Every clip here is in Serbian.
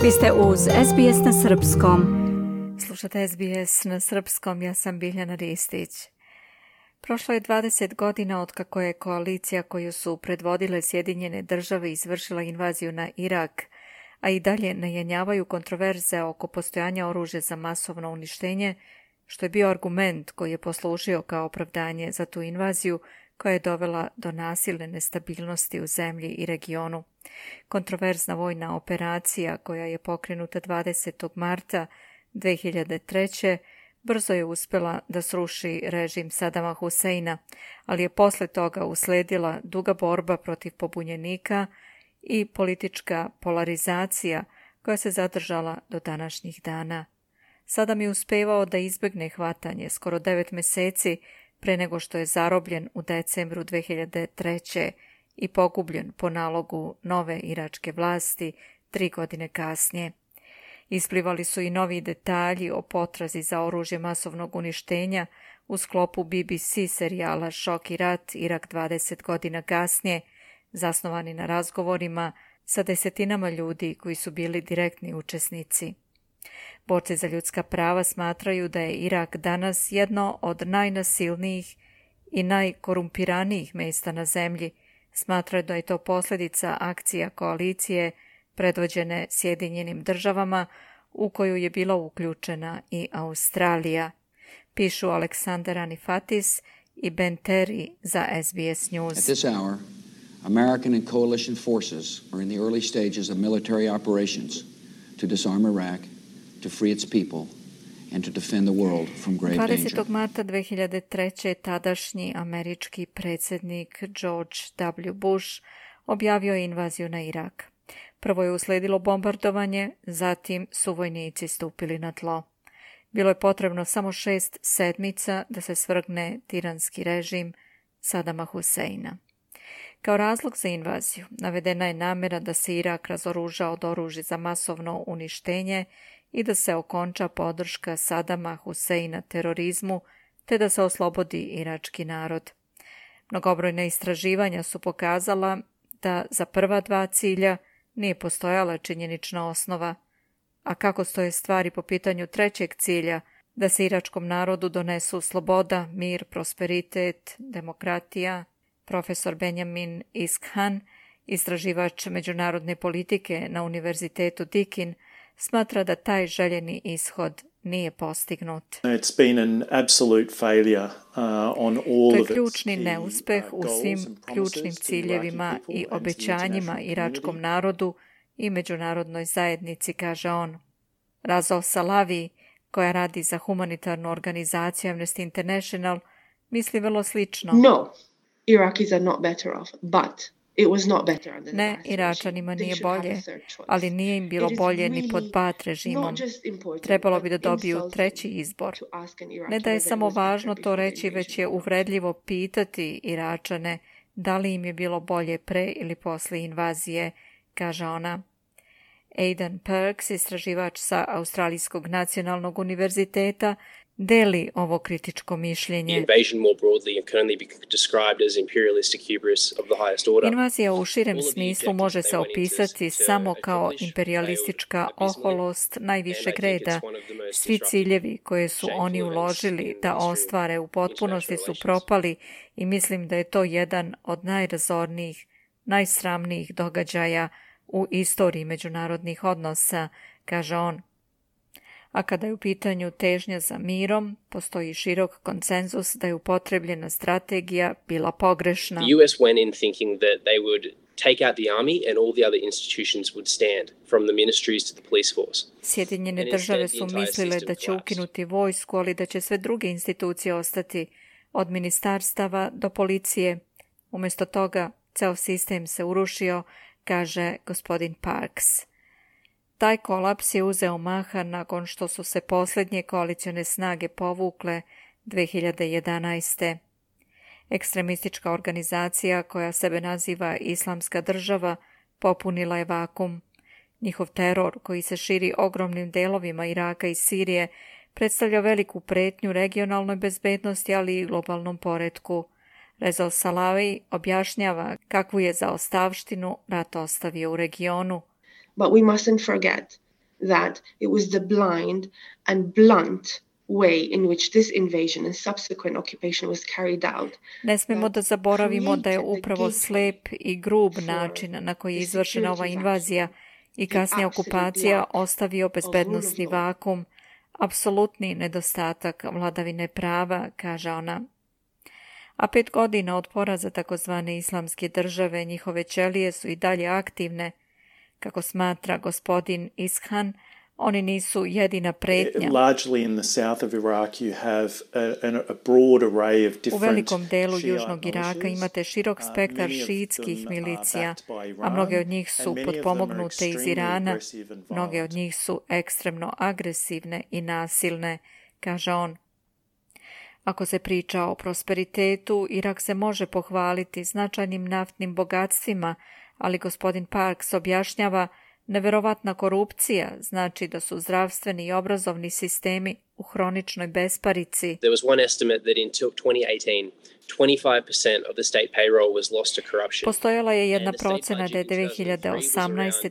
Vi ste uz SBS na srpskom. Slušate SBS na srpskom, ja sam Biljana Ristić. Prošlo je 20 godina od kako je koalicija koju su predvodile Sjedinjene države izvršila invaziju na Irak, a i dalje najenjavaju kontroverze oko postojanja oružja za masovno uništenje, što je bio argument koji je poslužio kao opravdanje za tu invaziju koja je dovela do nasilne nestabilnosti u zemlji i regionu. Kontroverzna vojna operacija koja je pokrenuta 20. marta 2003. brzo je uspjela da sruši režim Sadama Huseina, ali je posle toga usledila duga borba protiv pobunjenika i politička polarizacija koja se zadržala do današnjih dana. Sadam je uspevao da izbegne hvatanje skoro 9 meseci pre nego što je zarobljen u decembru 2003. i pogubljen po nalogu nove iračke vlasti 3 godine kasnije. Isplivali su i novi detalji o potrazi za oružje masovnog uništenja u sklopu BBC serijala Šok i rat, Irak 20 godina kasnije, zasnovani na razgovorima sa desetinama ljudi koji su bili direktni učesnici. Borci za ljudska prava smatraju da je Irak danas jedno od najnasilnijih i najkorumpiranijih mjesta na zemlji. Smatraju da je to posljedica akcija koalicije predvođene Sjedinjenim državama u koju je bila uključena i Australija. Pišu Aleksandar Anifatis i Ben Terry za SBS News. At this hour, American and coalition forces are in the early stages of military operations to disarm Iraq, to free its people and to defend the world from grave danger. 20. marta 2003. tadašnji američki predsjednik George W. Bush objavio je invaziju na Irak. Prvo je usledilo bombardovanje, zatim su vojnici stupili na tlo. Bilo je potrebno samo 6 sedmica da se svrgne tiranski režim Sadama Huseina. Kao razlog za invaziju navedena je namjera da se Irak razoruža od oružja za masovno uništenje i da se okonča podrška Sadama Huseina terorizmu, te da se oslobodi irački narod. Mnogobrojna istraživanja su pokazala da za prva 2 cilja nije postojala činjenična osnova. A kako stoje stvari po pitanju 3. cilja, da se iračkom narodu donesu sloboda, mir, prosperitet, demokratija? Profesor Benjamin Iskhan, istraživač međunarodne politike na Univerzitetu Deakin, smatra da taj željeni ishod nije postignut. It's been an absolute failure on all to je of ključni neuspeh u svim ključnim ciljevima i obećanjima iračkom narodu i međunarodnoj zajednici, kaže on. Razo Salavi, koja radi za humanitarnu organizaciju Amnesty International, misli vrlo slično. No, Iraqis are not better off, but it was not better under the Ne, Ba'ath Iračanima regime. nije They should have bolje, a third choice. ali nije im bilo It is bolje ni really pod Ba'ath režimom. not just important, Trebalo bi da but dobiju insulting 3. izbor. to ask an Iraqi Ne da je whether it samo was better važno to before the reći, već je invasion or not. uvredljivo pitati Iračane da li im je bilo bolje pre ili posle invazije, kaže ona. Aidan Perks, istraživač sa Australijskog nacionalnog univerziteta, deli ovo kritičko mišljenje. Invasion more broadly can only be described as imperialistic hubris of the highest order. Invazija u širem smislu može se opisati samo kao imperialistička oholost najvišeg reda. Svi ciljevi koje su oni uložili da ostvare u potpunosti su propali i mislim da je to jedan od najrazornijih, najsramnijih događaja u istoriji međunarodnih odnosa, kaže on. A kada je u pitanju težnja za mirom, postoji širok konsenzus da je upotrebljena strategija bila pogrešna. The US went in thinking that they would take out the army and all the other institutions would stand, from the ministries to the police force. Sjedinjene države su mislile da će ukinuti vojsku, ali da će sve druge institucije ostati, od ministarstava do policije. Umjesto toga, ceo sistem se urušio, kaže gospodin Parks. Taj kolaps je uzeo maha nakon što su se posljednje koalicione snage povukle 2011. Ekstremistička organizacija koja sebe naziva Islamska država popunila je vakum. Njihov teror, koji se širi ogromnim delovima Iraka i Sirije, predstavlja veliku pretnju regionalnoj bezbednosti, ali i globalnom poretku. Reza Salavi objašnjava kakvu je zaostavštinu rat ostavio u regionu. But we mustn't forget that it was the blind and blunt way in which this invasion and subsequent occupation was carried out. Ne smemo da zaboravimo da je upravo slep i grub način na koji je izvršena ova invazija i kasnija okupacija ostavio bezbednosni vakum, apsolutni nedostatak vladavine prava, kaže ona. A 5 godina od poraza takozvane islamske države njihove ćelije su i dalje aktivne. Kako smatra gospodin Ishan, oni nisu jedina pretnja. Largely in the south of Iraq you have a broad array of different. U velikom delu južnog Iraka imate širok spektar šiitskih milicija, a mnoge od njih su potpomognute iz Irana, mnoge od njih su ekstremno agresivne i nasilne, kaže on. Ako se priča o prosperitetu, Irak se može pohvaliti značajnim naftnim bogatstvima, ali gospodin Parks objašnjava neverovatna korupcija znači da su zdravstveni i obrazovni sistemi u hroničnoj besparici. There was one estimate that in 2018, 25% of the state payroll was lost to corruption. Postojala je jedna procena da je 2018.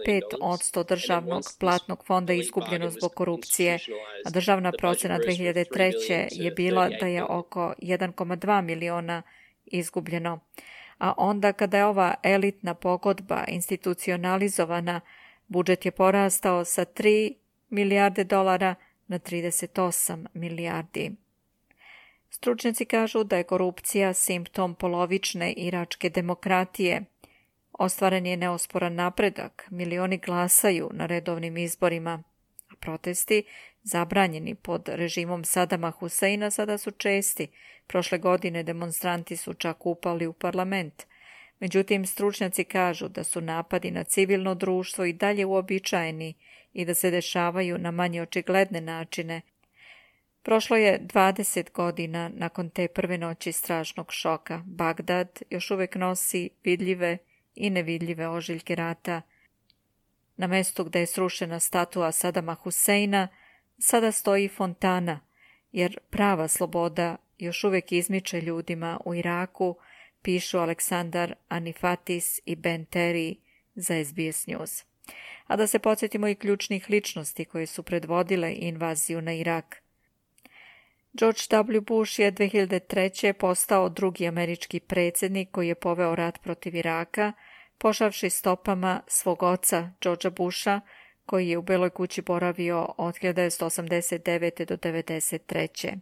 25% državnog platnog fonda izgubljeno zbog korupcije, a državna procena 2003. je bila da je oko 1,2 miliona izgubljeno. A onda kada je ova elitna pogodba institucionalizovana, budžet je porastao sa 3 milijarde dolara na 38 milijardi. Stručnjaci kažu da je korupcija simptom polovične iračke demokratije. Ostvaren je neosporan napredak, milioni glasaju na redovnim izborima, a protesti, zabranjeni pod režimom Sadama Huseina, sada su česti. Prošle godine demonstranti su čak upali u parlament. Međutim, stručnjaci kažu da su napadi na civilno društvo i dalje uobičajeni i da se dešavaju na manje očigledne načine. Prošlo je 20 godina nakon te prve noći strašnog šoka. Bagdad još uvijek nosi vidljive i nevidljive ožiljke rata. Na mestu gdje je srušena statua Sadama Huseina sada stoji fontana, jer prava sloboda još uvijek izmiče ljudima u Iraku, pišu Aleksandar Anifatis i Ben Terry za SBS News. A da se podsjetimo i ključnih ličnosti koje su predvodile invaziju na Irak. George W. Bush je 2003. postao drugi američki predsjednik koji je poveo rat protiv Iraka, pošavši stopama svog oca Georgea Busha, koji je u Beloj kući boravio od 1989. do 1993.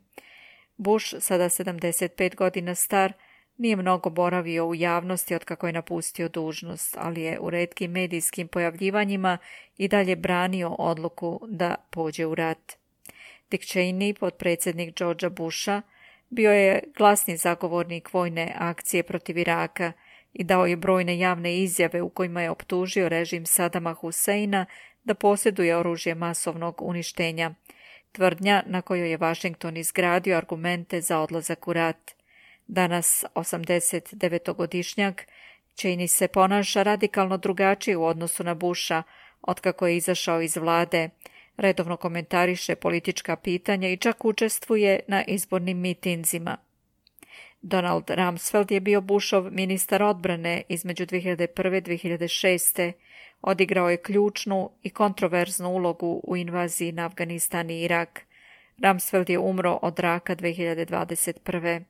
Bush, sada 75 godina star, nije mnogo boravio u javnosti otkako je napustio dužnost, ali je u retkim medijskim pojavljivanjima i dalje branio odluku da pođe u rat. Dick Cheney, potpredsjednik Georgea Busha, bio je glasni zagovornik vojne akcije protiv Iraka i dao je brojne javne izjave u kojima je optužio režim Sadama Huseina da posjeduje oružje masovnog uništenja, tvrdnja na kojoj je Washington izgradio argumente za odlazak u rat. Danas, 89-godišnjak, Cheney se ponaša radikalno drugačije u odnosu na Busha otkako je izašao iz vlade, redovno komentariše politička pitanja i čak učestvuje na izbornim mitinzima. Donald Rumsfeld je bio Bushov ministar odbrane između 2001. i 2006. Odigrao je ključnu i kontroverznu ulogu u invaziji na Afganistan i Irak. Rumsfeld je umro od raka 2021.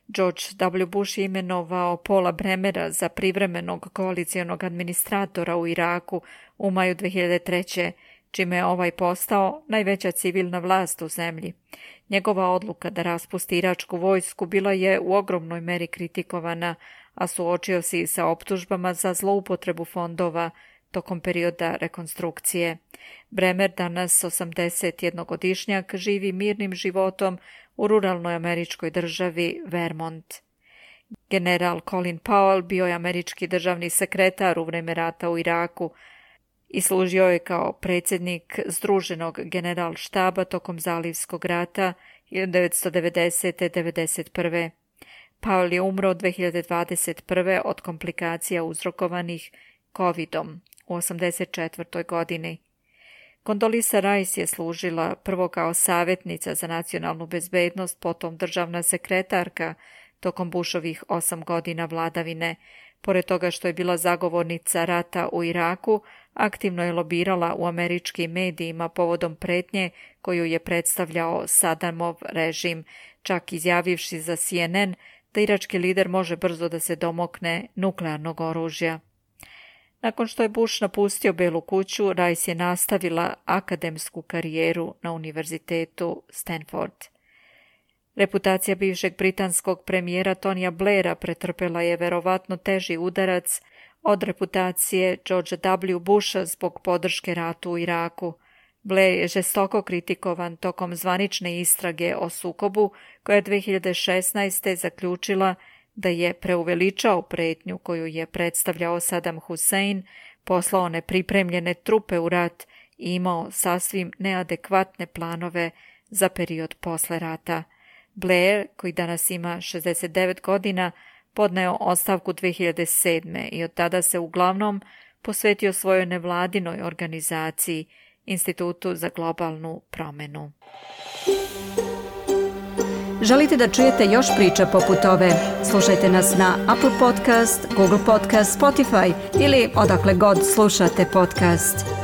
George W. Bush je imenovao Paula Bremera za privremenog koalicijonog administratora u Iraku u maju 2003. čime je ovaj postao najveća civilna vlast u zemlji. Njegova odluka da raspusti iračku vojsku bila je u ogromnoj meri kritikovana, a suočio se i sa optužbama za zloupotrebu fondova tokom perioda rekonstrukcije. Bremer, danas 81-godišnjak, živi mirnim životom u ruralnoj američkoj državi Vermont. General Colin Powell bio je američki državni sekretar u vreme rata u Iraku i služio je kao predsjednik Združenog generalštaba tokom Zalivskog rata 1990-91. Powell je umro 2021. od komplikacija uzrokovanih COVID-om u 84. godini. Condoleezza Rice je služila prvo kao savjetnica za nacionalnu bezbednost, potom državna sekretarka tokom Bushovih 8 godina vladavine. Pored toga što je bila zagovornica rata u Iraku, aktivno je lobirala u američkim medijima povodom pretnje koju je predstavljao Saddamov režim, čak izjavivši za CNN da irački lider može brzo da se domokne nuklearnog oružja. Nakon što je Bush napustio Belu kuću, Rice je nastavila akademsku karijeru na univerzitetu Stanford. Reputacija bivšeg britanskog premijera Tonija Blaira pretrpela je verovatno teži udarac od reputacije Georgea W. Busha zbog podrške ratu u Iraku. Blair je žestoko kritikovan tokom zvanične istrage o sukobu koja je 2016. zaključila da je preuveličao pretnju koju je predstavljao Saddam Hussein, poslao nepripremljene trupe u rat i imao sasvim neadekvatne planove za period posle rata. Blair, koji danas ima 69 godina, podneo ostavku 2007. i od tada se uglavnom posvetio svojoj nevladinoj organizaciji, Institutu za globalnu promenu. Želite da čujete još priča poput ove? Slušajte nas na Apple Podcast, Google Podcast, Spotify ili odakle god slušate podcast.